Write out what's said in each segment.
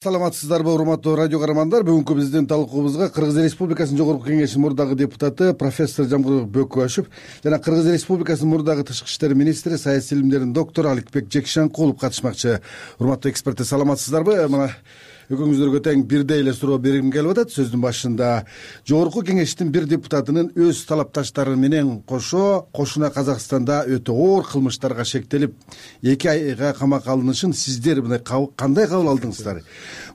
Саламатсыздарбы, урматтуу радио каармандар. Бүгүнкү биздин талкуубузга Кыргыз Республикасынын Жогорку Кеңешинин мурдагы депутаты профессор Жамбыл Бөкбашев жана Кыргыз Республикасынын мурдагы тышкы иштер министри, саясий илимдердин доктору Аликбек Жекшенкулов катышмакчы. Урматтуу эксперттер, саламатсыздарбы? Мына экөөңүздөргө тең бирдей эле суроо бергим келип атат. Сөздүн башында Жогорку Кеңештин бир депутатынын өз талапташтары менен кошуна Казакстанда өтө оор кылмыштарга шектелип 2 айга камакка алынышын сиздер мындай кандай кабыл алдыңыздар?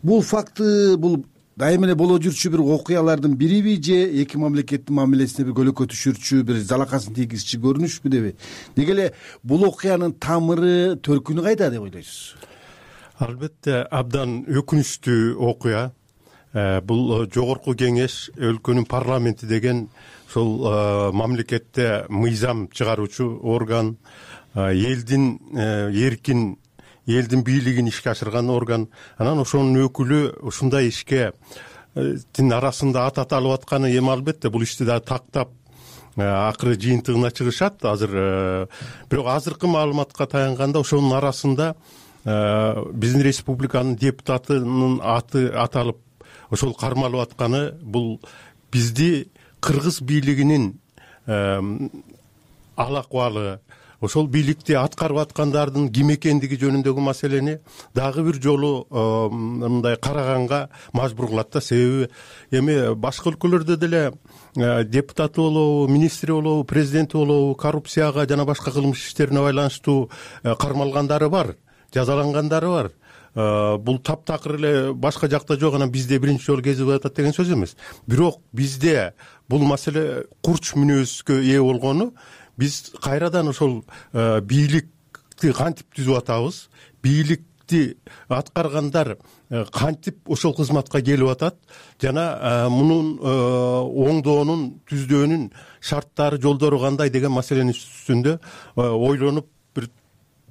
Бул факты, бул дайыма эле боло жүрчү бир окуялардын бириби же эки мамлекеттин мамилесине бир көлөкө түшүрчү, бир залакасын тийгизчү көрүнүшпү деби? Деги эле бул окуянын тамыры, төркүнү кайда деп ойлойсуз? Албетте абдан өкүнүчтүү окуя. Бул Жогорку Кеңеш өлкөнүн парламенти деген ошол мамлекетте мыйзам чыгаруучу орган, элдин эркин, элдин бийлигин ишке ашырган орган. Анан ошонун өкүлү ушундай ишке арасында ат алып атканы эми албетте бул ишти да тактап акыры жыйынтыгына чыгышат азыр. Бирок азыркы маалыматка таянганда ошонун арасында биздин республиканын депутатынын аты аталып ошол кармалып атканы бул бизди кыргыз бийлигинин ал акыбалы, ошол бийликти аткарып аткандардын ким экендиги жөнүндөгү маселени дагы бир жолу мындай караганга мажбур кылат да. Себеби эми башка өлкөлөрдө деле депутаты болобу, министри болобу, президенти болобу коррупцияга жана башка кылмыш иштерине байланыштуу кармалгандары бар, жазалангандары бар. Бул таптакыр эле башка жакта жок, анан бизде биринчи жолу кезип атат деген сөз эмес. Бирок бизде бул маселе курч мүнөзгө ээ болгону, биз кайрадан ошол бийликти кантип түзүп атабыз, бийликти аткаргандар кантип ошол кызматка келип атат жана мунун оңдоонун, түздөөнүн шарттары, жолдору кандай деген маселенин үстүндө ойлонуп бир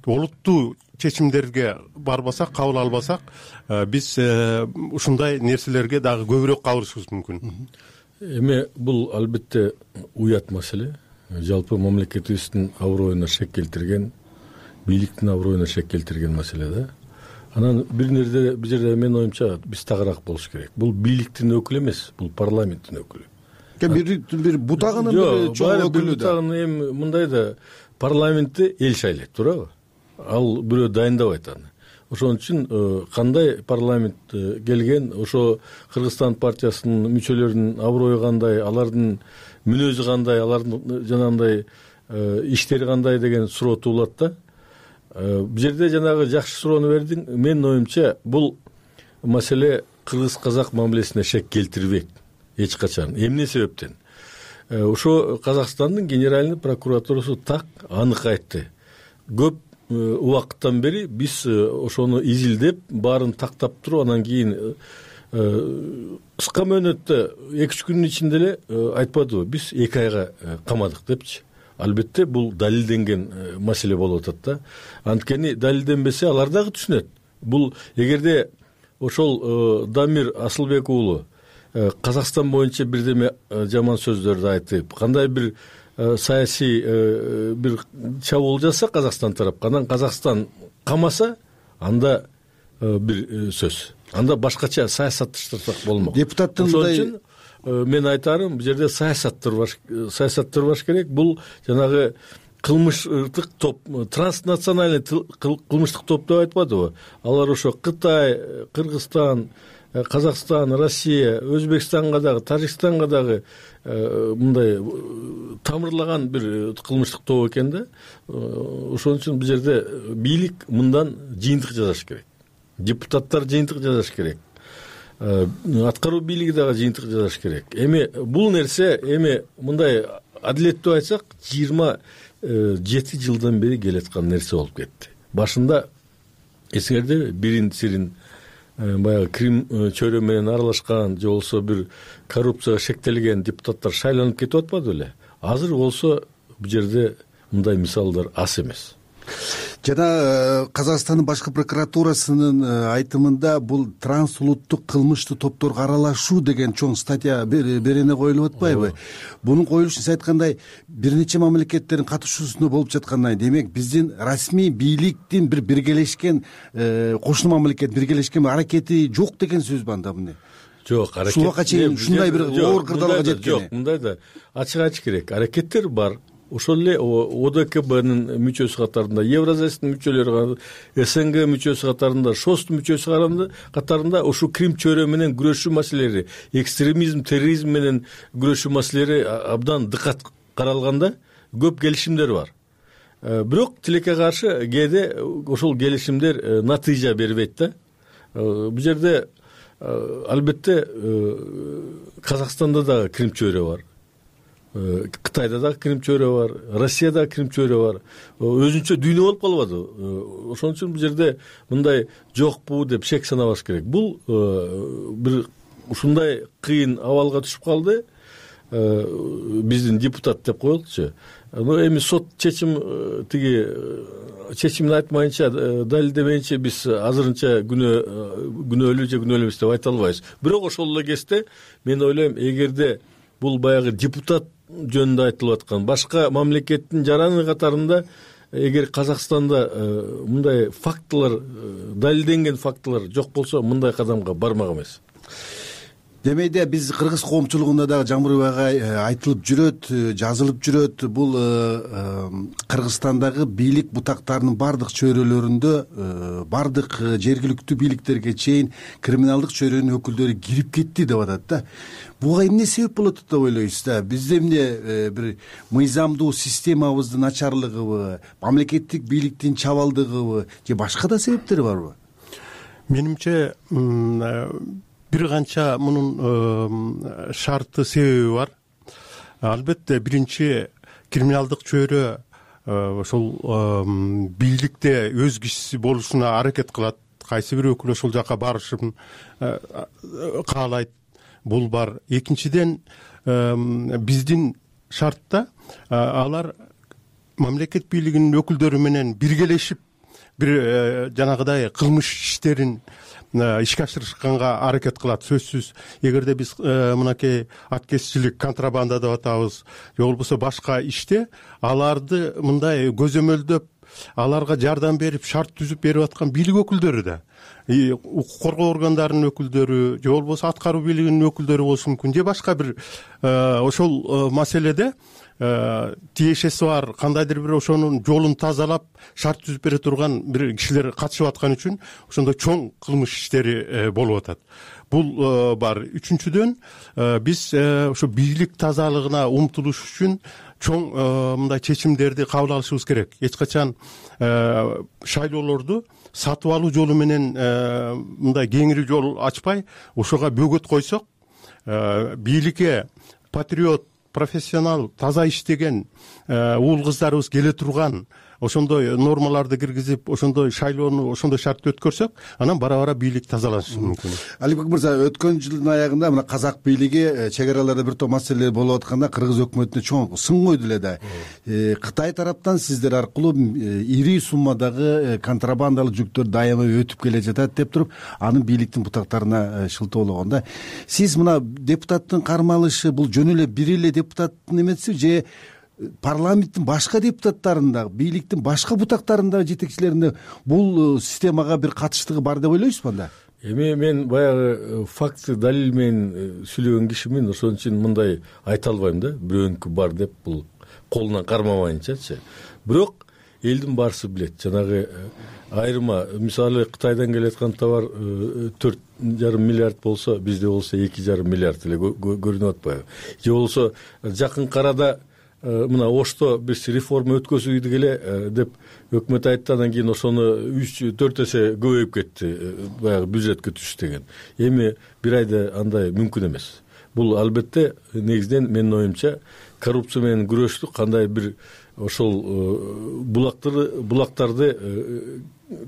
олуттуу чечимдерге барбасак, кабыл албасак, биз ушундай нерселерге дагы көбүрөөк кабылышыбыз мүмкүн. Эми бул албетте уят маселе. Жалпы мамлекетибиздин аброюна шек келтирген, бийликтин аброюна шек келтирген маселе да. Анан бир жерде менин оюмча биз тагыраак болуш керек. Бул бийликтин өкүлү эмес, бул парламенттин өкүлү. Бир бутагынын бир чоң өкүлү да. Эми мындай да, парламентти эл шайлайт, туурабы? Ал бирөө дайындабайт аны. Ошон үчүн кандай парламент келген, ошо Кыргызстан партиясынын мүчөлөрүнүн аброю кандай, алардын мүнөзү кандай, алардын жанагындай иштери кандай деген суроо туулат да. Бул жерде жанагы жакшы суроону бердиң. Менин оюмча бул маселе кыргыз-казак мамилесине шек келтирбейт эч качан. Эмне себептен? Ошо Казакстандын генеральный прокуратурасы так анык айтты. Көп убакыттан бери биз ошону изилдеп, баарын тактап туруп, анан кийин кыска мөөнөттө 2-3 күнүн ичинде эле айтпадыбы, биз 2 айга камадык депчи. Албетте бул далилденген маселе болуп атат да. Анткени далилденбесе алар дагы түшүнөт. Бул эгерде ошол Дамир Асылбек уулу Казакстан боюнча бирдеме жаман сөздөрдү айтып, кандай бир саясий бир чабуул жасаса Казакстан тарапка, анан Казакстан камаса, анда бир сөз. Анда башкача саясатташтырсак болмок. Депутаттын ошон үчүн мен айтарым, бул жерде саясаттырбаш керек. Бул жанагы кылмыштык топ, транснациональный кылмыштык топ деп айтпадыбы? Алар ошо Кытай, Кыргызстан, Казакстан, Россия, Өзбекстанга дагы, Тажикстанга дагы мындай тамырлаган бир кылмыштык топ экен да. Ошон үчүн бул жерде бийлик мындан жыйынтык жасаш керек. Депутаттар жыйынтык жасаш керек. Аткаруу бийлиги дагы жыйынтык жасаш керек. Эми бул нерсе мындай адилеттүү айтсак 27 жылдан бери келаткан нерсе болуп кетти. Башында эсиңерде бирин сирин баягы Крим чөйрө менен аралашкан, же болсо бир коррупцияга шектелген депутаттар шайланып кетип атпады беле? Азыр болсо бул жерде мындай мисалдар аз эмес. Жана Казакстандын башкы прокуратурасынын айтымында бул транс улуттук кылмыштуу топторго аралашуу деген чоң статья берене коюлуп атпайбы? Бунун коюлушун сиз айткандай бир нече мамлекеттердин катышуусунда болуп жаткандан демек биздин расмий бийликтин бир биргелешкен кошуна мамлекет биргелешкен аракети жок деген сөзбү анда эмне? Жок, аракет ушуга чейин ушундай бир оор кырдаалга жеткени жок. Мындай да ачык айтыш керек. Аракеттер бар. Ошол эле ОДКБнын мүчөсү катарында, Евразиянын мүчөлөрү, СНГ мүчөсү катарында, ШОСтун мүчөсү катарында ушу Крим чөйрө менен күрөшүү маселелери, экстремизм, терроризм менен күрөшүү маселелери абдан дыкат каралганда көп келишимдер бар. Бирок тилекке каршы кээде ошол келишимдер натыйжа бербейт да. Бул жерде албетте Казакстанда дагы Крим чөйрө бар. Кытайда да Крим чөйрө бар, Россияда Крим чөйрө бар. Өзүнчө дүйнө болуп калбады. Ошон үчүн бул жерде мындай жокпу деп шек санабаш керек. Бул бир ушундай кыйын абалга түшүп калды. Биздин депутат деп коелучу. Эми сот чечимин айтмайынча, далилдебейинче биз азырынча күнөөлүү же күнөөлүү эмес деп айта албайбыз. Бирок ошол эле кезде мен ойлойм, эгерде бул баягы депутат жөнүндө айтылып аткан башка мамлекеттин жараны катарында эгер Казакстанда мындай фактылар, далилденген фактылар жок болсо, мындай кадамга бармак эмес. Демейде биз кыргыз коомчулугунда дагы Жамбырбек агай айтылып жүрөт, жазылып жүрөт. Бул Кыргызстандагы бийлик бутактарынын бардык чөйрөлөрүндө бардык жергиликтүү бийликтерге чейин криминалдык чөйрөнүн өкүлдөрү кирип кетти деп атат да. Буга эмне себеп болот деп ойлойсуз да? Бизде эмне бир мыйзамдуу системабыздын начарлыгыбы, мамлекеттик бийликтин чабалдыгыбы же башка да себептери барбы? Менимче бир канча мунун шарты себеби бар. Албетте биринчи криминалдык чөйрө ошол бийликте өз кишиси болушуна аракет кылат. Кайсы бир өкүл ошол жака барышын каалайт. Бул бар. Экинчиден биздин шартта алар мамлекет бийлигинин өкүлдөрү менен биргелешип бир жанагыдай кылмыш иштерин ишке ашырышканга аракет кылат. Сөзсүз, эгерде биз мынакей аткезчилик, контрабанда деп атабыз, же болбосо башка иште аларды мындай көзөмөлдөп, аларга жардам берип, шарт түзүп берип аткан бийлик өкүлдөрү да, укук коргоо органдарынын өкүлдөрү, же болбосо аткаруу бийлигинин өкүлдөрү болушу мүмкүн, же башка бир ошол маселеде тиешеси бар кандайдыр бир ошонун жолун тазалап шарт түзүп бере турган бир кишилер катышып аткан үчүн ошондой чоң кылмыш иштери болуп атат. Бул бар. Үчүнчүдөн биз ошо бийлик тазалыгына умтулуш үчүн чоң мындай чечимдерди кабыл алышыбыз керек. Эч качан шайлоолорду сатып алуу жолу менен мындай кеңири жол ачпай, ошого бөгөт койсок, бийликке патриот, профессионал, таза иштеген уул кыздарыбыз келе турган ошондой нормаларды киргизип, ошондой шайлоону ошондой шартта өткөрсөк, анан бара-бара бийлик тазаланышы мүмкүн. Алибек мырза, өткөн жылдын аягында мына казак бийлиги чек араларда бир топ маселелер болуп атканда кыргыз өкмөтүнө чоң сын койду эле да. Кытай тараптан сиздер аркылуу ири суммадагы контрабандалык жүктөр дайыма өтүп келе жатат деп туруп, анын бийликтин бутактарына шылтоологонда, сиз мына депутаттын кармалышы бул жөн эле бир эле депутаттын эмеси же парламенттин башка депутаттарында, бийликтин башка бутактарында, жетекчилеринде бул системага бир катыштыгы бар деп ойлойсузбу анда? Эми мен баягы факты далил менен сүйлөгөн кишимин, ошон үчүн мындай айта албайм да, бирөөнүкү бар деп, бул колунан кармабайынчачы. Бирок элдин баарысы билет, жанагы айырма, мисалы Кытайдан келаткан товар 4,5 миллиард болсо, бизде болсо 2,5 миллиард эле көрүнүп атпайбы? Же болсо жакынкы арада мына Ошто биз реформа өткөзүйдүк эле деп өкмөт айтты, андан кийин ошону 3-4 эсе көбөйүп кетти, баягы бюджетке түш деген. Эми бир айда андай мүмкүн эмес. Бул албетте негизинен менин оюмча коррупция менен күрөштү кандай бир ошол булактарды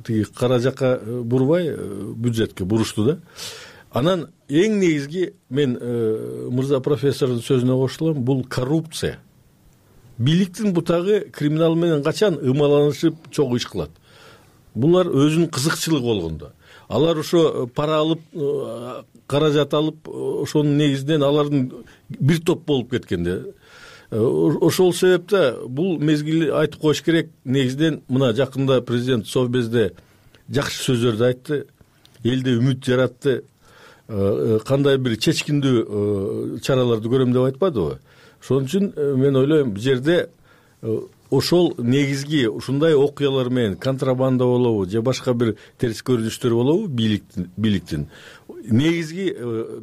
тиги кара жака бурбай бюджетке бурушту да. Анан эң негизги мен мырза профессордун сөзүнө кошулам, бул коррупция. бийликтин бутагы криминал менен качан ымаланышып чогуу иш кылат. Булар өзүнүн кызыкчылыгы болгондо. Алар ошо пара алып, каражат алып, ошонун негизинен алардын бир топ болуп кеткенде. Ошол себептен бул мезгил айтып коюш керек. Негизинен мына жакында президент Совбезде жакшы сөздөрдү айтты, элде үмүт жаратты, кандай бир чечкиндүү чараларды көрөм деп айтпадыбы? Ошон үчүн мен ойлойм, бул жерде ошол негизги ушундай окуялар менен контрабанда болобу же башка бир терс көрүнүштөр болобу бийликтин негизги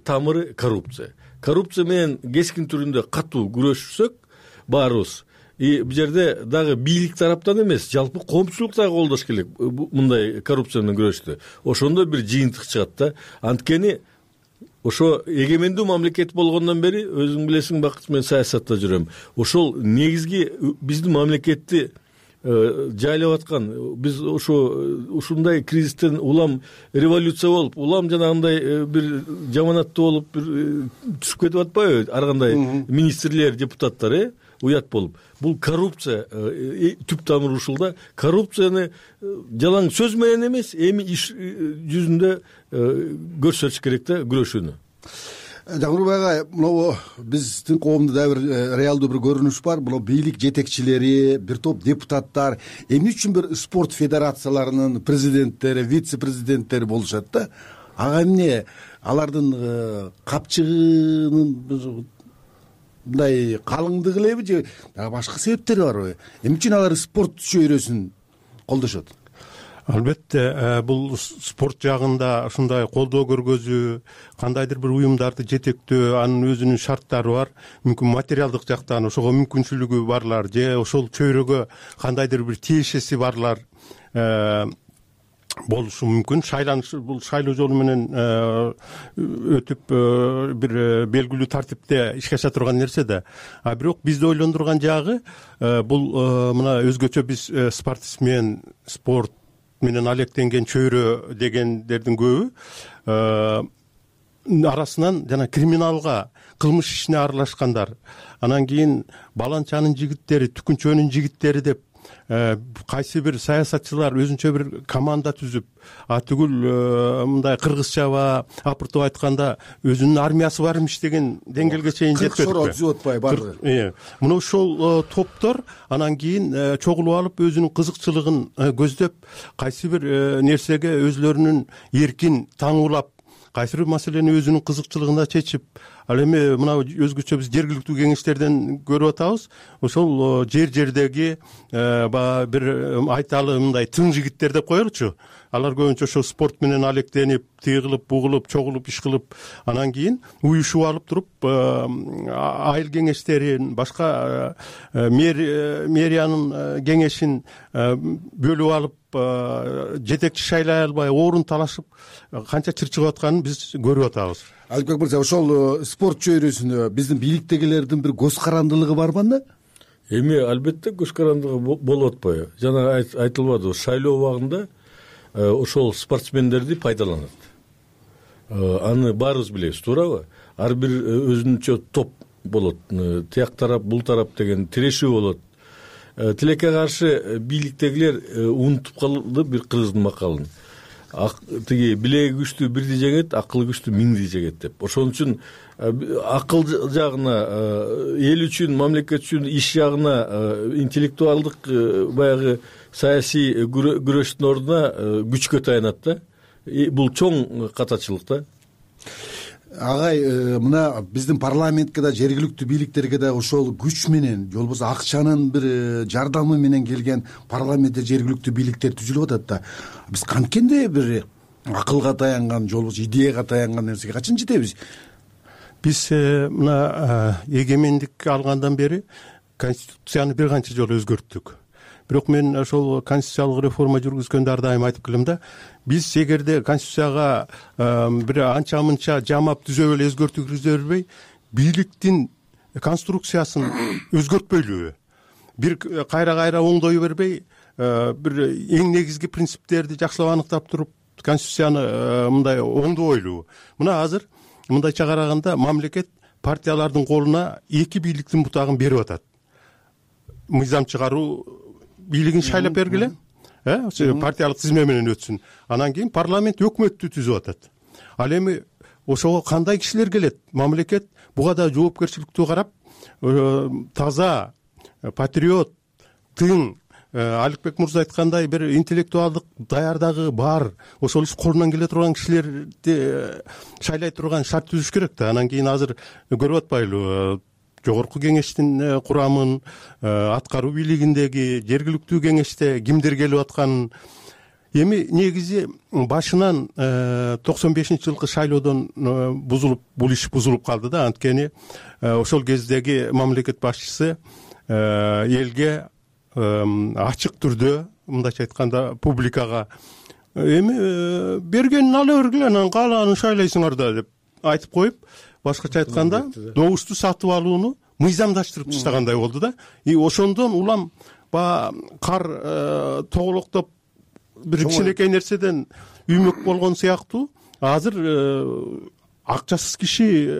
тамыры коррупция. Коррупция менен кескин түрүндө катуу күрөшсөк баарыбыз, бул жерде дагы бийлик тараптан эмес, жалпы коомчулук дагы колдош керек мындай коррупция менен күрөштү. Ошондо бир жыйынтык чыгат да. Анткени ошо эгемендүү мамлекет болгондон бери, өзүң билесиң, Бакыт, мен саясатта жүрөм. Ошол негизги биздин мамлекетти жайлап аткан, биз ушундай кризистен улам революция болуп, улам жанагындай бир жаманаттуу болуп бир түшүп кетип атпайбы ар кандай министрлер, депутаттар, уят болуп. Бул коррупция түп тамыры ушул да. Коррупцияны жалаң сөз менен эмес, эми иш жүзүндө көрсөтүш керек да күрөшүүнү. Жамгырбай ага, мына биздин коомдо да бир реалдуу бир көрүнүш бар. Мына бийлик жетекчилери, бир топ депутаттар эмне үчүн бир спорт федерацияларынын президенттери, вице-президенттери болушат да. Ага эмне алардын капчыгынын мындай калыңдыгы элеби же башка себептери барбы? Эмне үчүн алар спорт чөйрөсүн колдошот? Албетте, бул спорт жагында ушундай колдоо көргөзүү, кандайдыр бир уюмдарды жетектөө, анын өзүнүн шарттары бар. Мүмкүн материалдык жактан ошого мүмкүнчүлүгү барлар же ошол чөйрөгө кандайдыр бир тиешеси барлар болушу мүмкүн. Бул шайлоо жолу менен өтүп бир белгилүү тартипте ишке аша турган нерсе да. А бирок бизди ойлондурган жагы бул мына өзгөчө биз спортсмен, спорт менен алектенген чөйрө дегендердин көбү арасынан жана криминалга, кылмыш ишине аралашкандар, анан кийин баланчанын жигиттери, түкүнчөнүн жигиттери деп кайсы бир саясатчылар өзүнчө бир команда түзүп, түгүл мындай кыргызчаба апыртып айтканда өзүнүн армиясы бар имиш деген деңгээлге чейин жетпедикпи? Шороо түзүп атпай баардыгы. Мына ошол топтор анан кийин чогулуп алып өзүнүн кызыкчылыгын көздөп, кайсы бир нерсеге өзлөрүнүн эркин таңуулап, кайсы бир маселени өзүнүн кызыкчылыгында чечип, ал эми мына өзгөчө биз жергиликтүү кеңештерден көрүп атабыз. Ошол жердеги баягы бир айталы мындай тың жигиттер деп коелучу. Алар көбүнчө ошо спорт менен алектенип, тиги кылып, бугу кылып, чогулуп, иш кылып, анан кийин уюшуп алып туруп, айыл кеңештерин, башка мэриянын кеңешин бөлүп алып, жетекчи шайлай албай, орун талашып, канча чырчыгып атканын биз көрүп атабыз. Аликбек мырза, ошол спорт чөйрөсүнө биздин бийликтегилердин бир көз карандылыгы барбы анда? Эми албетте көз карандылыгы болуп атпайбы? Жана айтылбады, шайлоо убагында ошол спортсмендерди пайдаланат. Аны баарыбыз билебиз, туурабы? Ар бир өзүнчө топ болот. Тияк тарап, бул тарап деген тирешүү болот. Тилекке каршы бийликтегилер унутуп калды бир кыргыздын макалын. Тиги билеги күчтүү бирди жеңет, акылы күчтүү миңди жегет деп. Ошон үчүн акыл жагына, эл үчүн, мамлекет үчүн иш жагына, интеллектуалдык баягы саясий күрөштүн ордуна күчкө таянат да. Бул чоң катачылык да. Агай, мына биздин парламентке да, жергиликтүү бийликтерге да ошол күч менен, же болбосо акчанын бир жардамы менен келген парламентте жергиликтүү бийликтер түзүлүп атат да. Биз канткенде бир акылга таянган, же болбосо идеяга таянган нерсеге качан жетебиз? Биз мына эгемендик алгандан бери конституцияны бир канча жолу өзгөрттүк. Бирок мен ошол конституциялык реформа жүргүзгөндө ар дайым айтып келем да, биз эгерде конституцияга бир анча-мынча жамап түзөп эле өзгөртүү киргизе бербей, бийликтин конструкциясын өзгөртпөйлүбү? Бир кайра оңдой бербей, бир эң негизги принциптерди жакшылап аныктап туруп, конституцияны мындай оңдобойлубу? Мына азыр мындайча караганда мамлекет партиялардын колуна эки бийликтин бутагын берип атат. мыйзам чыгаруу бийлигин шайлап бергиле, партиялык тизме менен өтсүн. Анан кийин парламент өкмөттү түзүп атат. Ал эми ошого кандай кишилер келет? Мамлекет буга да жоопкерчиликтүү карап, таза, патриот, тың, Аликбек мырза айткандай бир интеллектуалдык даярдыгы бар, ошол иш колунан келе турган кишилерди шайлай турган шарт түзүш керек да. Анан кийин азыр көрүп атпайлыбы, жогорку кеңештин курамын, аткаруу бийлигиндеги жергиликтүү кеңеште кимдер келип атканын. Эми негизи башынан 95-жылкы шайлоодон бул иш бузулуп калды да. Анткени ошол кездеги мамлекет башчысы элге ачык түрдө, мындайча айтканда, публикага эми бергенин ала бергиле, анан каалаанын шайлайсыңар да деп айтып коюп, башкача айтканда, добушту сатып алууну мыйзамдаштырып таштагандай болду да. И ошондон улам баягы кар тоголоктоп бир кичинекей нерседен үймөк болгон сыяктуу азыр акчасыз киши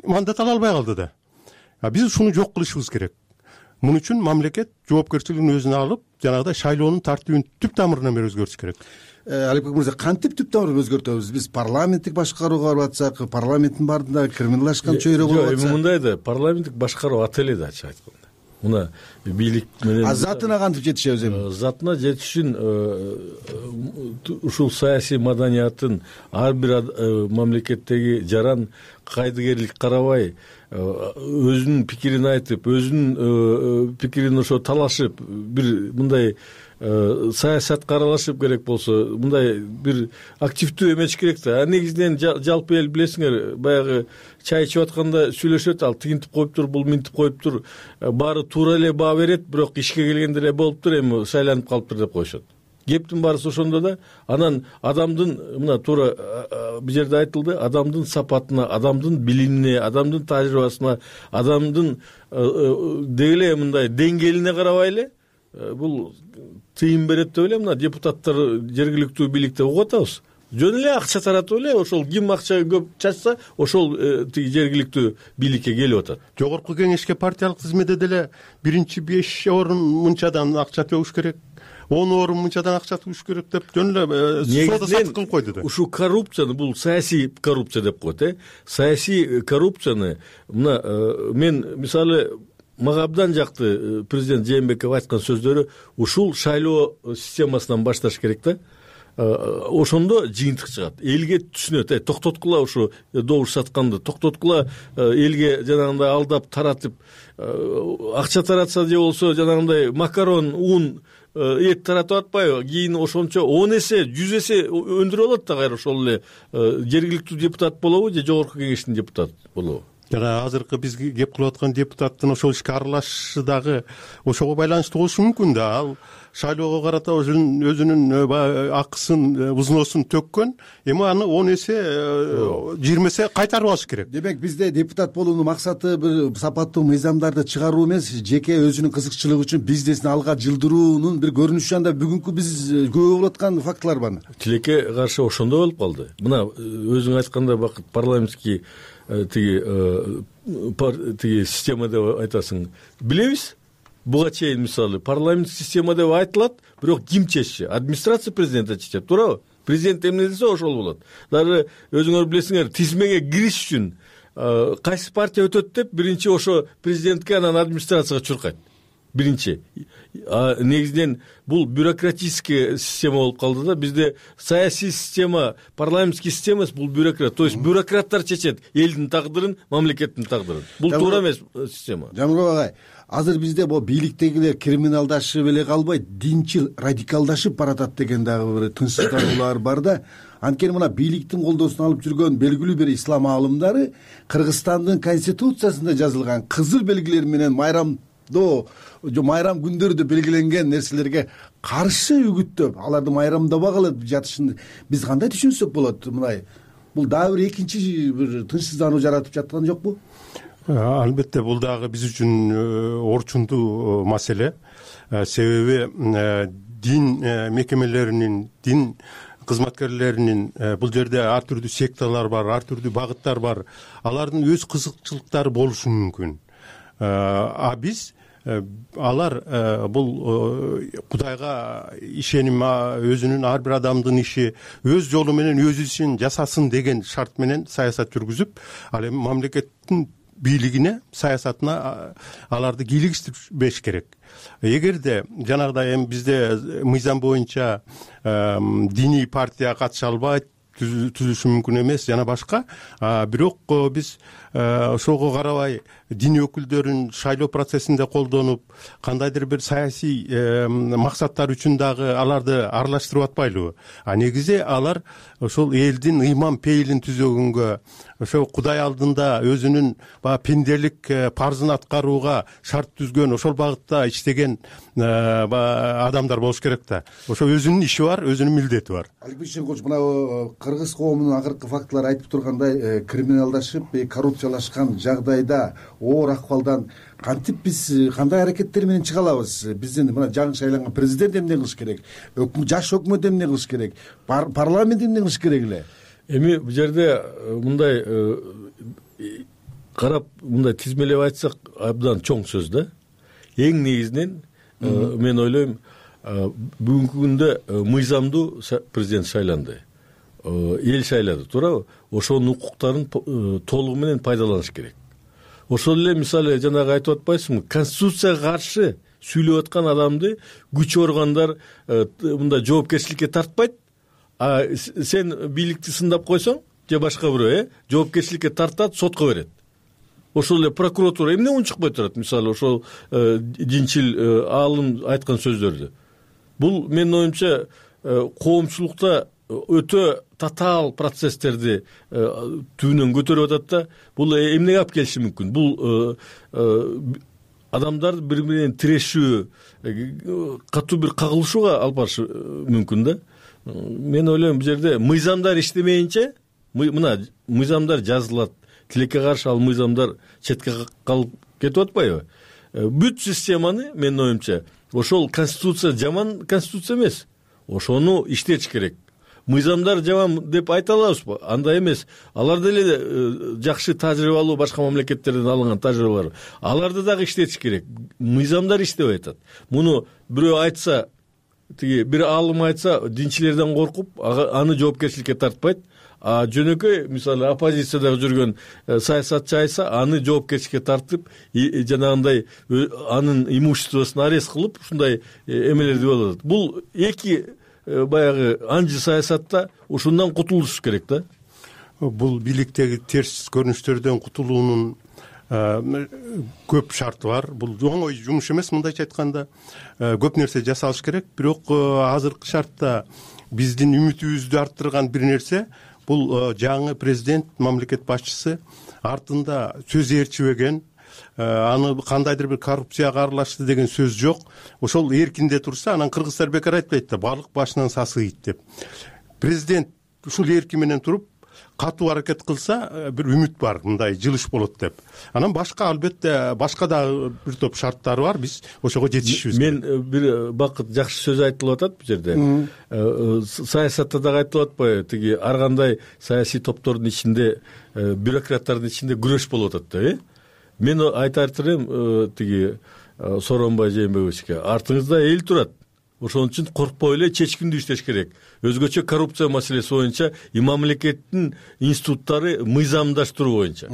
мандат ала албай калды да. Биз ушуну жок кылышыбыз керек. Мун үчүн мамлекет жоопкерчилигин өзүнө алып, жанагыдай шайлоонун тартибин түп тамырынан бери өзгөртүш керек. Аликбек мырза, кантип түп тамырын өзгөртөбүз? Биз парламенттик башкарууга барып атсак, парламенттин баардыгында криминалдашкан чөйрө болуп атса. Эми мындай да, парламенттик башкаруу ат эле да, ачык айтканда. Мына бийлик менен затына кантип жетишебиз эми? Затына жетиш үчүн ушул саясий маданияттын ар бир мамлекеттеги жаран кайдыгерлик карабай өзүнүн пикирин айтып, өзүнүн пикирин ошо талашып, бир мындай саясатка аралашып керек болсо, мындай бир активдүү эмеш керек да. Негизинен жалпы эл билесиңер, баягы чай ичип атканда сүйлөшөт, ал тигинтип коюптур, бул минтип коюптур, баары туура эле баа берет, бирок ишке келгенде эле болуптур, эми шайланып калыптыр деп коюшат. Кептин баарысы ошондо да. Анан адамдын, мына туура бул жерде айтылды, адамдын сапатына, адамдын билимине, адамдын тажрыйбасына, адамдын деги мындай деңгээлине карабай эле бул тыйын берет деп эле мына депутаттар жергиликтүү бийликте угуп атабыз. Жөн эле акча таратып эле, ошол ким акча көп чачса, ошол тиги жергиликтүү бийликке келип атат. Жогорку кеңешке партиялык тизмеде деле биринчи 5 орун мынчадан акча төгүш керек, 10 орун мынчадан акча төгүш керек деп жөн эле соода сатык кылып койду да. Ушу коррупцияны, бул саясий коррупция деп коет, саясий коррупцияны мына мен мисалы мага абдан жакты президент Жээнбеков айткан сөздөрү, ушул шайлоо системасынан башташ керек да. Ошондо жыйынтык чыгат, элге түшүнөт, токтоткула ушу добуш сатканды, токтоткула элге жанагындай алдап таратып, акча таратса же болсо жанагындай макарон, ун, эт таратып атпайбы, кийин ошончо 10 эсе, 100 эсе өндүрүп алат да, кайра ошол эле жергиликтүү депутат болобу же жогорку кеңештин депутаты болобу. Жана азыркы биз кеп кылып аткан депутаттын ошол ишке аралашышы дагы ошого байланыштуу болушу мүмкүн да. Ал шайлоого карата өзүнүн акысын, взносун төккөн, эми аны 10 эсе, 20 эсе кайтарып алыш керек. Демек бизде депутат болуунун максаты бир сапаттуу мыйзамдарды чыгаруу эмес, жеке өзүнүн кызыкчылыгы үчүн бизнесин алга жылдыруунун бир көрүнүшү. Анда бүгүнкү биз көрүп болуп аткан фактылар бар. Тилекке каршы ошондой болуп калды. Мына өзүң айткандай Бакыт, парламентский тиги система деп айтасың. Билебиз, буга чейин мисалы парламент система деп айтылат, бирок ким чечти? Администрация президента чечет, туурабы? Президент эмне десе ошол болот. Дагы өзүңөр билесиңер, тизмеге кириш үчүн кайсы партия өтөт деп биринчи ошо президентке, анан администрацияга чуркайт. Биринчи. Негизинен бул бюрократический система болуп калды да. Бизде саясий система, парламентский система, бул бюрократ. То есть бюрократтар чечет элдин тагдырын, мамлекеттин тагдырын. Бул туура эмес система. Жамбыл агай, азыр бизде бул бийликтегилер криминалдашып эле калбай, динчил радикалдашып баратат деген дагы бир тынчсыздануулар бар да. Анткени мына бийликтин колдоосуна алып жүргөн белгилүү бир ислам аалымдары Кыргызстандын конституциясында жазылган кызыл белгилер менен майрам күндөрдө белгиленген нерселерге каршы үгүттөп, аларды майрамдабагыла жатышын биз кандай түшүнсөк болот? Мындай бул дагы бир экинчи бир тынчсыздануу жаратып жаткан жокпу? Албетте бул дагы биз үчүн орчундуу маселе. Себеби дин мекемелеринин, дин кызматкерлеринин бул жерде ар түрдүү секталар бар, ар түрдүү багыттар бар. Алардын өз кызыкчылыктары болушу мүмкүн. Биз алар бул Кудайга ишеним, өзүнүн ар бир адамдын иши өз жолу менен өз ишин жасасын деген шарт менен саясат жүргүзүп, ал эми мамлекеттин бийлигине, саясатына аларды кийлигишпеш керек. Эгерде жанагыдай эми бизде мыйзам боюнча диний партия катыша албайт, түзүшү мүмкүн эмес жана башка, бирок биз ошого карабай дин өкүлдөрүн шайлоо процессинде колдонуп, кандайдыр бир саясий максаттар үчүн дагы аларды аралаштырып атпайлыбы? Негизи алар ошол элдин ыйман пейилин түзөгөнгө, ошо Кудай алдында өзүнүн баягы пенделик парзын аткарууга шарт түзгөн, ошол багытта иштеген адамдар болуш керек да. Ошо өзүнүн иши бар, өзүнүн милдети бар. Аликбек Шенкулович, мына кыргыз коомунун акыркы фактылары айтып тургандай, криминалдашып, коррупциялашкан жагдайда, оор акыбалдан кантип биз кандай аракеттер менен чыга алабыз? Биздин мына жаңы шайланган президент эмне кылыш керек? Жаш өкмөт эмне кылыш керек? Парламент эмне кылыш керек эле? Эми бул жерде мындай карап, мындай тизмелеп айтсак абдан чоң сөз да. Эң негизинен мен ойлойм, бүгүнкү күндө мыйзамдуу президент шайланды. Эл шайлады, туурабы? Ошонун укуктарын толугу менен пайдаланыш керек. Ошол эле мисалы жанагы айтып атпайсызбы, конституцияга каршы сүйлөп аткан адамды күч органдар мындай жоопкерчиликке тартпайт, а сен бийликти сындап койсоң же башка бирөө жоопкерчиликке тартат, сотко берет. Ошол эле прокуратура эмне унчукпай турат, мисалы ошол динчил аалым айткан сөздөрдү. Бул менин оюмча коомчулукта өтө татаал процесстерди түбүнөн көтөрүп атат да. Бул эмнеге алып келиши мүмкүн? Бул адамдар бири менен тирешүү, катуу бир кагылышууга алып барышы мүмкүн да. Мен ойлойм, бул жерде мыйзамдар иштемейинче, мына мыйзамдар жазылат, тилекке каршы ал мыйзамдар четке калып кетип атпайбы? Бүт системаны менин оюмча ошол конституция жаман конституция эмес. Ошону иштетиш керек. Мыйзамдар жаман деп айта алабызбы? Андай эмес. Алар деле жакшы тажрыйбалуу башка мамлекеттерден алынган тажрыйбалар. Аларды дагы иштетиш керек. Мыйзамдар иштебей атат. Муну бирөө айтса, тиги бир аалым айтса, динчилерден коркуп, аны жоопкерчиликке тартпайт. А жөнөкөй мисалы оппозицияда жүргөн саясатчы айтса, аны жоопкерчиликке тартып, жанагындай анын имуществосун арест кылып, ушундай эмелерди болот. Бул эки баягы анжы саясатта ушундан кутулуш керек да. Бул бийликтеги терс көрүнүштөрдөн кутулуунун көп шарты бар. Бул оңой жумуш эмес, мындайча айтканда. Көп нерсе жасалыш керек, бирок азыркы шартта биздин үмүтүбүздү арттырган бир нерсе бул жаңы президент, мамлекет башчысы артында сөз ээрчибеген, аны кандайдыр бир коррупцияга аралашты деген сөз жок. Ошол эркинде турса, анан кыргыздар бекер айтпайт да, балык башынан сасыйт деп. Президент ушул эрки менен туруп, катуу аракет кылса, бир үмүт бар, мындай жылыш болот деп. Анан башка албетте башка дагы бир топ шарттары бар, биз ошого жетишибиз керек. Мен бир бакыт жакшы сөз айтылып атат бул жерде. Саясатта дагы айтылып атпайбы, тиги ар кандай саясий топтордун ичинде, бюрократтардын ичинде күрөш болуп атат да, Мен айтар элем, тиги Сооронбай Жээнбековичке, артыңызда эл турат. Ошон үчүн коркпой эле чечкиндүү иштеш керек. Өзгөчө коррупция маселеси боюнча мамлекеттин институттары мыйзамдаштыруу боюнча.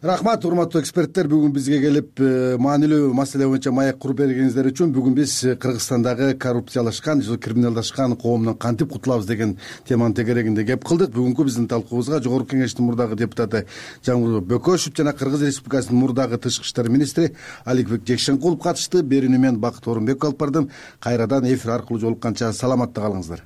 Рахмат, урматтуу эксперттер, бүгүн бизге келип маанилүү маселе боюнча маек куруп бергениңиздер үчүн. Бүгүн биз Кыргызстандагы коррупциялашкан, криминалдашкан коомдон кантип кутулабыз деген теманын тегерегинде кеп кылдык. Бүгүнкү биздин талкуубузга Жогорку Кеңештин мурдагы депутаты Жамгырбек Бөкөшев жана Кыргыз Республикасынын мурдагы тышкы иштер министри Аликбек Жекшенкулов катышты. Берүүнү мен Бакыт Орунбеков алып бардым. Кайрадан эфир аркылуу жолукканча саламатта калыңыздар.